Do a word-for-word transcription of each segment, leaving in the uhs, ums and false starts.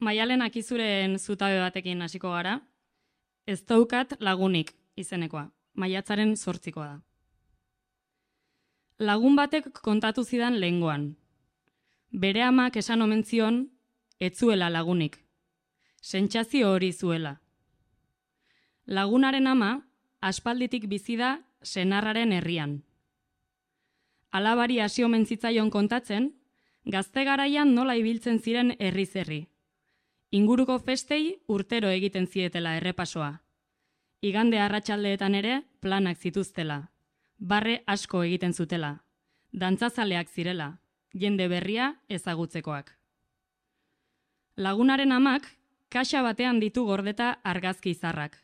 Maialen Akizuren zutabe batekin hasiko gara. Ez daukat lagunik izenekoa, maiatzaren zortzikoa da. Lagun batek kontatu zidan lehengoan. Bere amak esan omen zion, ez zuela lagunik. Sentsazio hori zuela. Lagunaren ama, aspalditik bizi da senarraren herrian. Alabari hasi omen zitzaion kontatzen, gazte garaian nola ibiltzen ziren herriz herri. Inguruko festei urtero egiten zietela errepasoa. Igande arratsaldeetan ere planak zituztela. Barre asko egiten zutela. Dantzazaleak zirela, jende berria ezagutzekoak. Lagunaren amak kaxa batean ditu gordeta argazki izarrak.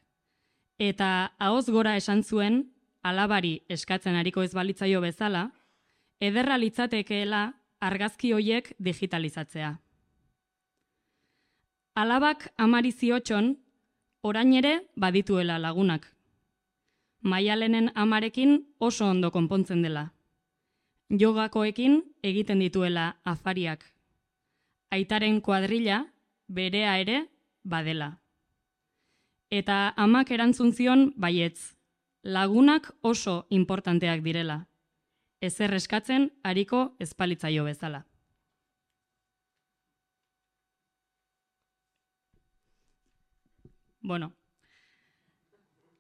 Eta ahoz gora esan zuen, alabari eskatzen ariko ez balitzaio bezala, ederra litzatekeela argazki hoiek digitalizatzea. Alabak amari ziotxon, orain ere badituela lagunak. Maialenen amarekin oso ondo konpontzen dela. Jogakoekin egiten dituela afariak. Aitaren kuadrilla berea ere badela. Eta amak erantzun zion baietz, lagunak oso importanteak direla. Ezer eskatzen ariko ezpalitzaio bezala. Bueno,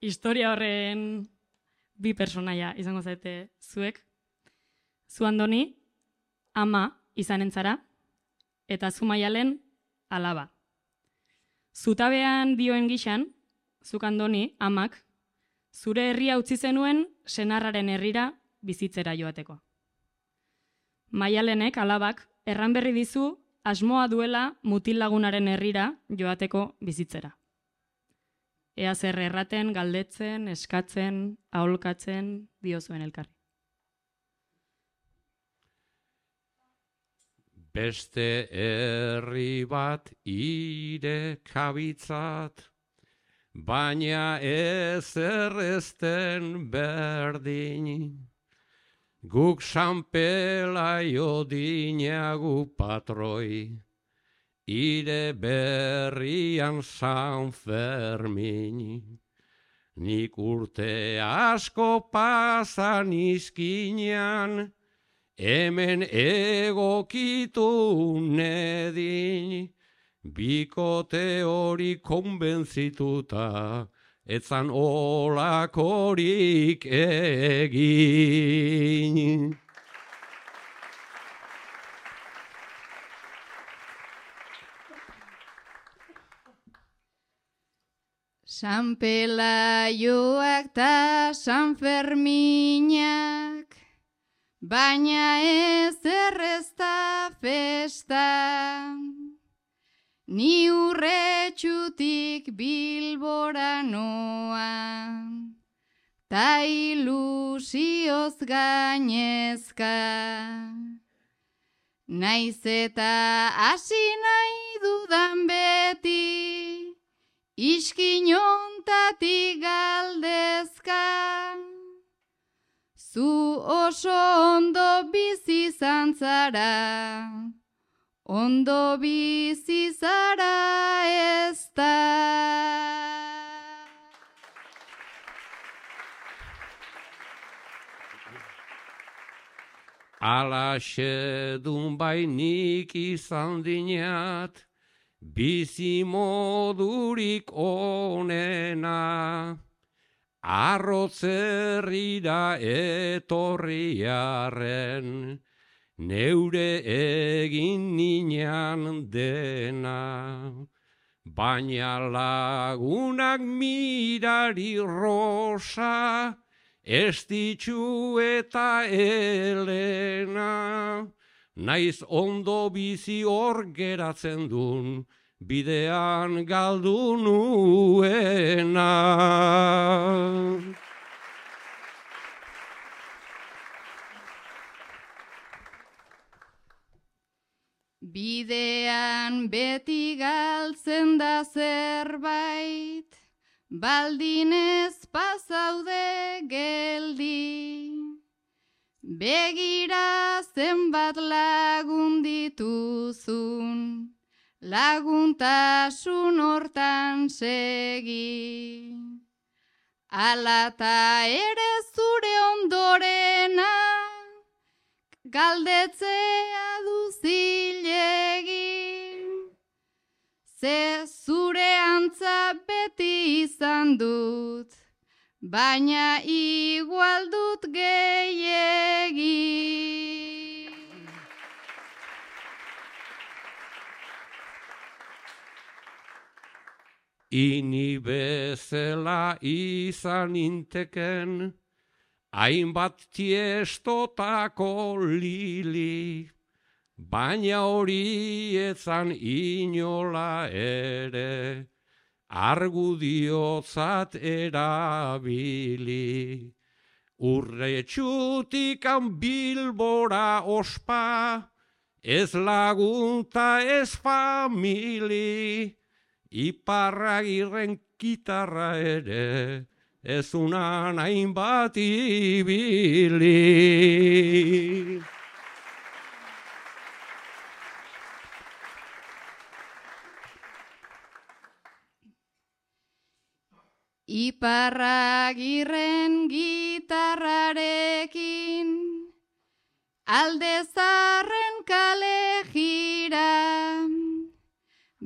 historia horren bi personaia izango zaite zuek. Zu Andoni, ama izanen zara, eta zu Maialen, alaba. Zutabean dioen gixan, zuk Andoni, amak, zure herria utzi zenuen senarraren herrira bizitzera joateko. Maialenek, alabak, erran berri dizu asmoa duela mutil lagunaren herrira joateko bizitzera. Ea zer erraten, galdetzen, eskatzen, aholkatzen, diozuen elkarri. Beste herri bat irekabitzat, baina ez errezten berdin. Guk sanpelaio dinagu patroi, ire berrian San Fermin. Nik urte asko pasan izkinean, hemen egokitu nedin, bikote hori konbentzituta, etzan olakorik egin. San Pelaioak ta San Ferminak, baina ez errezta festa, ni urretxutik Bilbora noa, ta ilusioz gainezka. Naiz eta hasi nahi dudan beti, iskinontatik galdezka. Zu oso ondo bizi izan zara, ondo bizi zara ez da. Alaxe dun bainik izan dinat, bizi modurik onena. Arrotzerrira etorriaren, neure egin ninan dena. Baina lagunak mirari rosa, estitxu eta Elena. Naiz ondo bizi hor geratzen dun, bidean galdu nuena. Bidean beti galtzen da zerbait, baldin ez pasaude geldi. Begira zenbat lagun dituzun, laguntasun hortan segi. Alata ere zure ondorena, galdetzea duzilegi. Ze zure antza beti izan dut, baina igual dut gehiegi. Ini bezala izan inteken, hainbat tiestotako lili, baina hori etzan inola ere, argudiotzat erabili. Urretxutikan Bilbora ospa, ez lagunta ez famili, Iparragirren gitarra ere, ez unan hainbat ibili. Iparragirren gitarrarekin, alde zarren kale jira,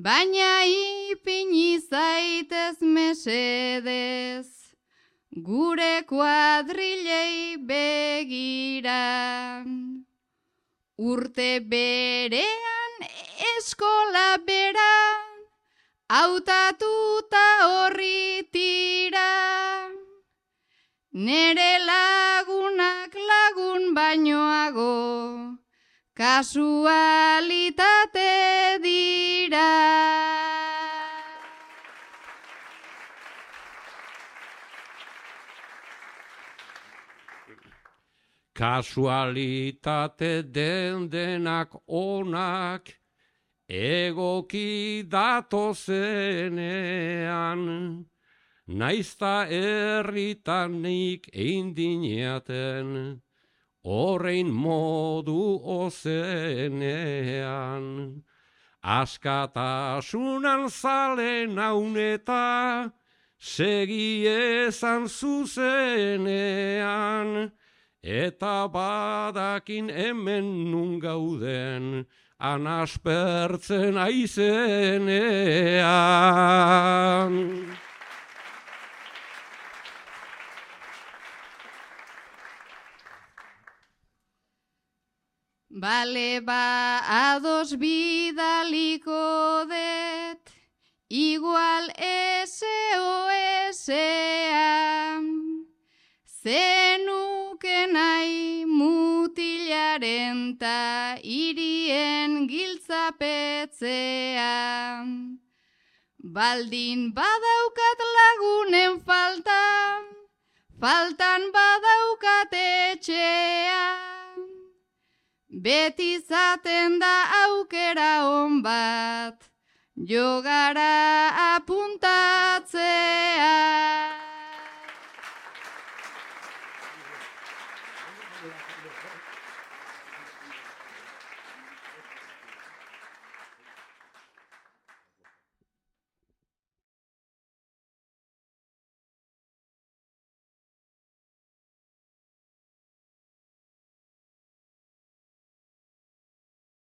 baina ipini zaitez mesedez, gure kuadrilei begira. Urte berean eskola bera, hautatuta horri tira. Nere lagunak lagun bainoago, kasualitate dira. Kasualitate den denak onak, egoki datozenean, naizta erritanik eindineaten, horrein modu ozenean. Askatasunan zale nauneta, segi ezan zuzenean, eta badakin hemen nun gauden, anaspertzen aizenean. Bale ba ados bidaliko det, igual ese o esea, zenuke nahi mutilaren ta irien giltzapetzea. Baldin badaukat lagunen falta, faltan badaukat etxea. Beti zaten da aukera on bat, jogara apuntatzea.